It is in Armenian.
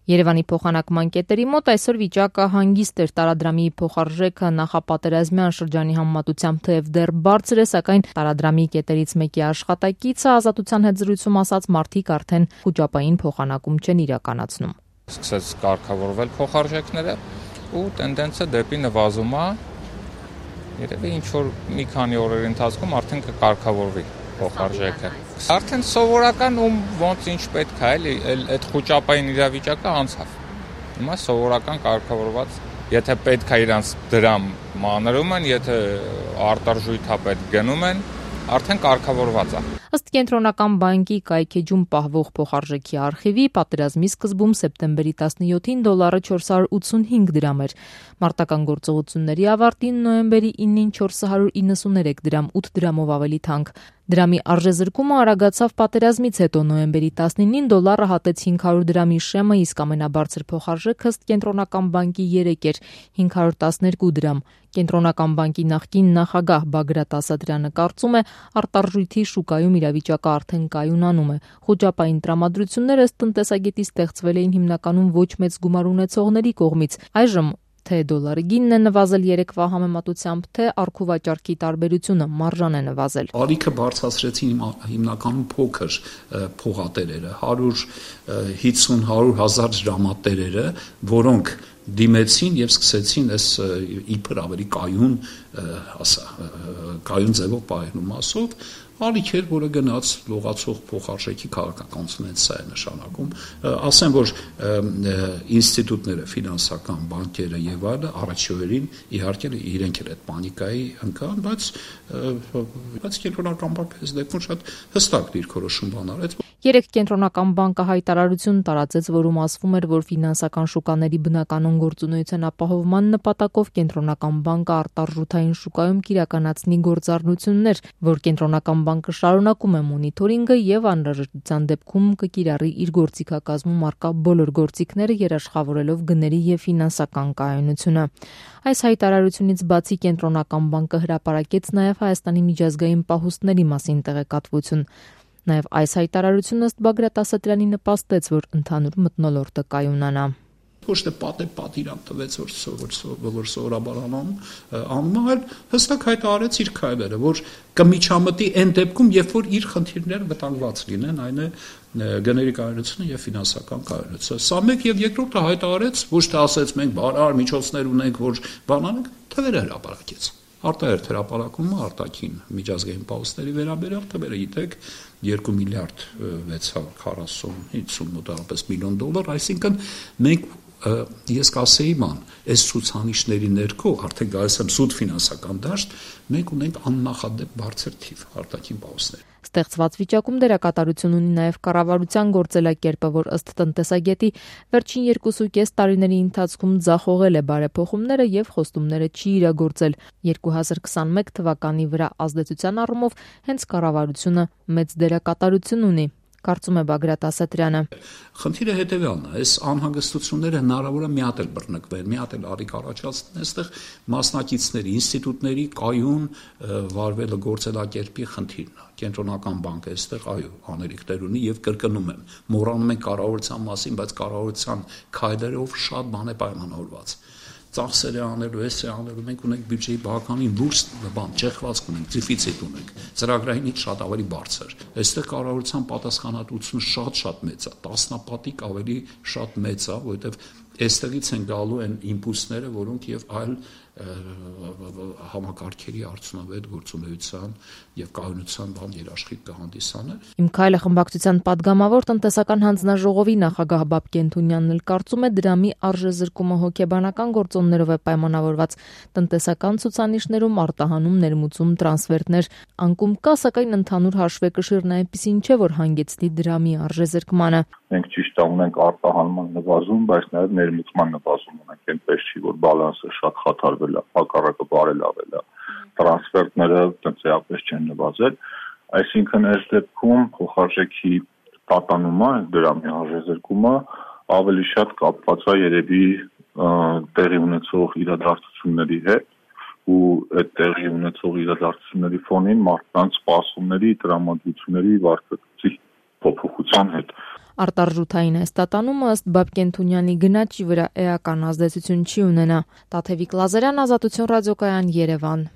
Երևանի փոխանակման կետերի մոտ այսօր վիճակը հանգիստ էր, տարադրամի փոխարժեքը նախապատերազմյան շրջանի համեմատությամբ թեև դեռ բարձր է, սակայն տարադրամի կետերից մեկի աշխատակիցը Ազատության հետ զրույցում ասաց, մարդիկ արդեն խուճապային փոխանակում չեն իրականացնում։ Սկսեց կարգավորվել փոխարժեքները ու տենդենսը դեպի նվազում է, երևի ինչ-որ մի քանի օրերի ընթացքում արդեն կկարգավորվի փոխարժեքը։ Արդեն սովորական ու ոնց ինչ պետք է, էլի, այդ խուճապային իրավիճակը անցավ։ Հիմա սովորական կարգավորված, եթե պետք է իրանց դրամ մանրում են, եթե արտարժույթապետ գնում են, արդեն կարգավորված է։ Ըստ Կենտրոնական բանկի կայքեջում պահվող փոխարժեքի արխիվի, պատերազմի սկզբում սեպտեմբերի 17-ին դոլարը 485 դրամ էր։ Մարտական գործողությունների ավարտին նոյեմբերի 9-ին 493 դրամ, 8 դրամով ավելի թանկ։ Դրամի արժեզրկումը արագացավ պատերազմից հետո նոյեմբերի 19-ին դոլարը հատեց 500 դրամի շեմը, իսկ ամենաբարձր փոխարժեքը ըստ Կենտրոնական բանկի 3 էր 512 դրամ։ Կենտրոնական բանկի նախկին նախագահ Բագրատ Ասատրյանը կարծում է, արտարժույթի շուկայում իրավիճակը արդեն կայունանում է։ Խուճապային տրամադրությունները ըստ տնտեսագետի ստեղծվել էին հիմնականում ոչ մեծ գումար ունեցողների կողմից։ Այժմ թե դոլարի գինն է նվազել երեկվա համեմատությամբ, թե առքուվաճառքի տարբերությունը մարժան է նվազել։ Ալիքը բարձրացրեցին հիմնականում փոքր փողատերերը, 150-100 հազար դրամատերերը, որոնք դիմեցին եւ սկսեցին այս իբր ավելի կայուն ձևով պահելու մասով ալիք էր, որը գնաց լողացող փոխարժեքի քաղաքականությունը սա է նշանակում։ Ասեմ, որ ինստիտուտները, ֆինանսական բանկերը եւ այլը առաջին իհարկե իրենք էլ այդ պանիկայի ընկան, բայց Կենտրոնական բանկը այս դեպքում շատ հստակ դիրքորոշում բան արեց։ Երեք Կենտրոնական բանկը հայտարարություն տարածեց, որում ասվում էր, որ ֆինանսական շուկաների բնականon գործունեության ապահովման նպատակով Կենտրոնական բանկը արտարժութային շուկայում կիրականացնի գործառնություններ, որ Կենտրոնական բանկը շարունակում է մոնիթորինգը եւ անհրաժեշտության դեպքում կկիրառի իր գործիքակազմում առկա բոլոր գործիքները, երաշխավորելով գների եւ ֆինանսական կայունությունը։ Այս հայտարարությունից բացի Կենտրոնական բանկը հրապարակեց նաեւ Հայաստանի միջազգային պահուստների մասին տեղեկատվություն։ Նաև այս հայտարարությունը ըստ Բագրատ Ասատրյանի նպաստեց, որ ընդհանուր մթնոլորտը կայունանա։ Ոչ թե պատիրանք տվեց, որ սովորաբար անում, այլ հստակ հայտարարեց իր քայլերը, որ կմիջամտի այն դեպքում, երբ որ իր խնդիրները վտանգված լինեն, այն է գների կայունությունը եւ ֆինանսական կայունությունը։ Սա մեկ եւ երկրորդը հայտարարեց, ոչ թե ասեց մենք բարար միջոցներ ունենք, որ բան անենք, թվերը հրապարակեց։ Արտահերթ հրապարակումը արտաքին միջազգային պահուստների վերաբերյալ թվերը գիտեք 2 միլիարդ 640-50 մոտավորապես միլիոն դոլար, այսինքն մենք ես կասեի այս ցուցանիշների ներքո արդեն գալիս եմ սուտ ֆինանսական դաշտ, մենք ունենք աննախադեպ բարձր թիվ արտաքին պահուստներ։ Ստեղծված վիճակում դերակատարություն ունի նաև կառավարության գործելակերպը, որ ըստ տնտեսագետի վերջին 2.5 տարիների ընթացքում ձախողել է բարեփոխումները եւ խոստումները չի իրագործել։ 2021 թվականի վրա ազդեցության առումով հենց կառավարությունը մեծ դերակատարություն ունի, կարծում է Բագրատ Ասատրյանը։ Խնդիրը հետևյալն է, այս անհանգստությունները հնարավոր է մի հատ էլ բռնկվեն, մի հատ էլ արիք առաջացնեն, այստեղ մասնակիցների, ինստիտուտների կայուն վարվելը գործելակերպի խնդիրն է։ Կենտրոնական բանկը այստեղ աներիքներ ունի եւ կրկնում եմ, մոռանում ենք կառավարության մասին, բայց կառավարության քայլերով շատ բան է պայմանավորված։ Ծախսեր է անելու, է անելու, մենք ունենք բյուջեի բավականին լուրջ ճեղքվածք ունենք, դեֆիցիտ ունենք, ծրագրայինից շատ ավելի բարձր։ Այստեղ կառավարության պատասխանատվությունը շատ մեծ է, տասնապատիկ ավելի շատ մեծ է, որովհետև այստեղից են գալու այն իմպուլսները, որոնք եւ այլ համակարգերի արդյունավետ գործունեության եւ կայունության բան երաշխիք կհանդիսանեն։ Իմ քայլը խմբակցության падգամավոր տնտեսական հանձնաժողովի նախագահ Բաբկեն Թունյանն էլ կարծում է դրամի արժեզրկումը հոգեբանական գործոններով է պայմանավորված, տնտեսական ցուցանիշներում արտահանում, ներմուծում, տրանսֆերտներ անկում կա, սակայն ընդհանուր հաշվեկշիռն այնպեսին չէ, որ հանգեցնի դրամի արժեզրկմանը։ Մենք ճիշտ է ունենք արտահանման նվազում, բայց նաև ներմուծման նվազում ունենք, այնպես չի, որ բալանսը շատ խաթարվել է, հակառակը բարելավել է, տրանսֆերտները տնտեսապես չեն նվազել, այսինքն այս դեպքում փոխարժեքի տատանումը, դրամի արժեզրկումը ավելի շատ կապված է երևի տեղի ունեցող իրադարձությունների հետ ու այդ տեղի ունեցող իրադարձությունների ֆոնին մարդկանց սպասումների, տրամադրությունների վարկածի փոփոխության հետ։ Արտարժութային հստատանումը ըստ Բաբկեն-Թունյանի գնաճի վրա էական ազդեցություն չի ունենա։ Տաթևիկ Լազարյան, Ազատություն ռադիոկայան, Երևան։